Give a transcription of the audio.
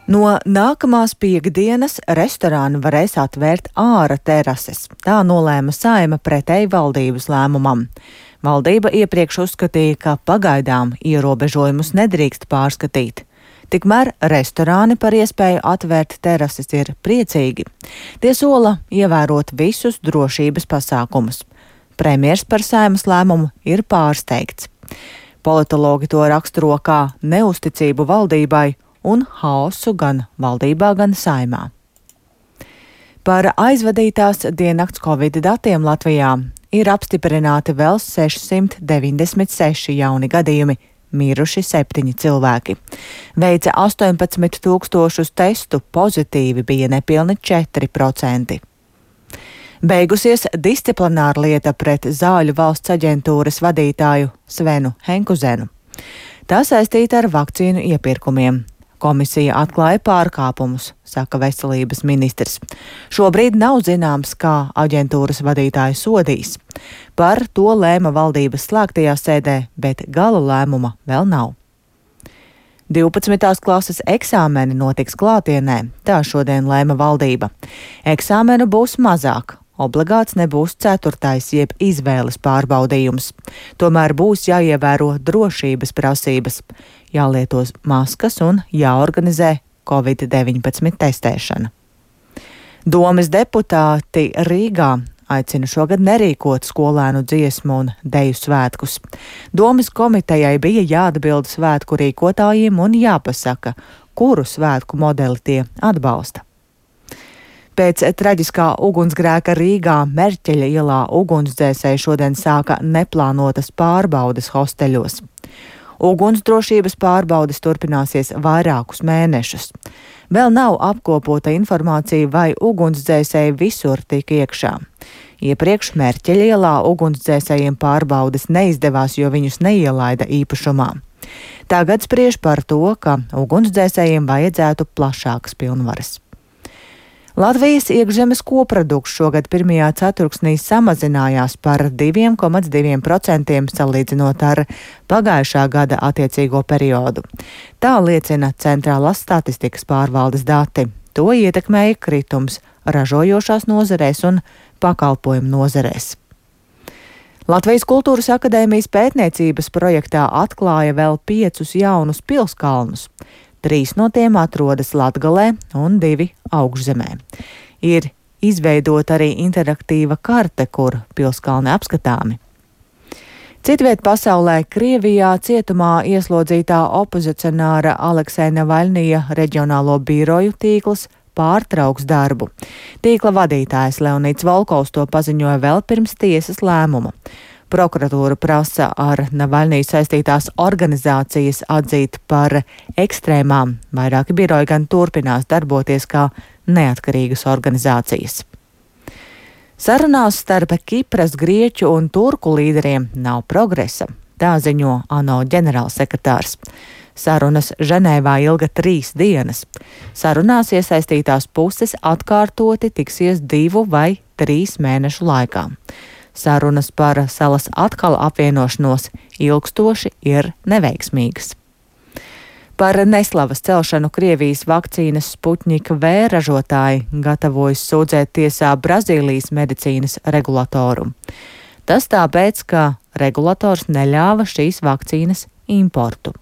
No nākamās piektdienas restorāni varēs atvērt ārā terases. Tā nolēma Saeima pretēji valdības lēmumam. Valdība iepriekš uzskatīja, ka pagaidām ierobežojumus nedrīkst pārskatīt. Tikmēr restorāni par iespēju atvērt terases ir priecīgi. Tie sola ievērot visus drošības pasākumus. Premjers par Saeimas lēmumu ir pārsteigts. Politologi to raksturo kā neusticību valdībai un haosu gan valdībā, gan Saeimā. Par aizvadītās diennakts Covid datiem Latvijā ir apstiprināti vēl 696 jauni gadījumi, miruši 7 cilvēki. Veica 18 000 testu, pozitīvi bija nepilni 4%. Beigusies disciplināra lieta pret Zāļu valsts aģentūras vadītāju Svenu Henkuzenu. Tā saistīta ar vakcīnu iepirkumiem. Komisija atklāja pārkāpumus, saka veselības ministrs. Šobrīd nav zināms, kā aģentūras vadītāju sodīs. Par to lēma valdības slēgtajā sēdē, bet gala lēmuma vēl nav. 12. klases eksāmeni notiks klātienē, tā šodien lēma valdība. Eksāmenu būs mazāk. Obligāts nebūs 4. jeb izvēles pārbaudījums. Tomēr būs jāievēro drošības prasības, jālieto maskas un jāorganizē Covid-19 testēšana. Domes deputāti Rīgā aicina šogad nerīkot skolēnu dziesmu un deju svētkus. Domes komitejai bija jāatbild svētku rīkotājiem un jāpasaka, kuru svētku modeli tie atbalsta. Pēc traģiskā ugunsgrēka Rīgā Merķeļa ielā ugunsdzēsēji šodien sāka neplānotas pārbaudes hosteļos. Ugunsdrošības pārbaudes turpināsies vairākus mēnešus. Vēl nav apkopota informācija, vai ugunsdzēsēji visur tika iekšā. Iepriekš Merķeļa ielā ugunsdzēsējiem pārbaudes neizdevās, jo viņus neielaida īpašumā. Tagad spriež par to, ka ugunsdzēsējiem vajadzētu plašākas pilnvaras. Latvijas iekšzemes koprodukts šogad pirmajā ceturksnī samazinājās par 2,2% salīdzinot ar pagājušā gada attiecīgo periodu. Tā liecina Centrālās statistikas pārvaldes dati. To ietekmēja kritums ražojošās nozarēs un pakalpojumu nozarēs. Latvijas Kultūras akadēmijas pētniecības projektā atklāja vēl 5 jaunus pilskalnus. 3 no tiem atrodas Latgalē un 2 Augšzemē. Ir izveidota arī interaktīva karte, kur pilskalni apskatāmi. Citviet pasaulē Krievijā cietumā ieslodzītā opozicionāra Aleksēja Navaļnija reģionālo biroju tīkls pārtrauks darbu. Tīkla vadītājs Leonids Volkovs to paziņoja vēl pirms tiesas lēmuma. Prokuratūra prasa ar Navaļniju saistītās organizācijas atzīt par ekstrēmām. Vairāki biroji gan turpinās darboties kā neatkarīgas organizācijas. Sarunās starp Kipras, Grieķu un Turku līderiem nav progresa, tā ziņo ANO ģenerālsekretārs. Sarunas Ženēvā ilga 3 dienas. Sarunās iesaistītās puses atkārtoti tiksies 2 vai 3 mēnešu laikā. Sarunas par salas atkal apvienošanos ilgstoši ir neveiksmīgas. Par neslavas celšanu Krievijas vakcīnas Sputņika V ražotāji gatavojas sūdzēt tiesā Brazīlijas medicīnas regulatoru. Tas tāpēc, ka regulators neļāva šīs vakcīnas importu.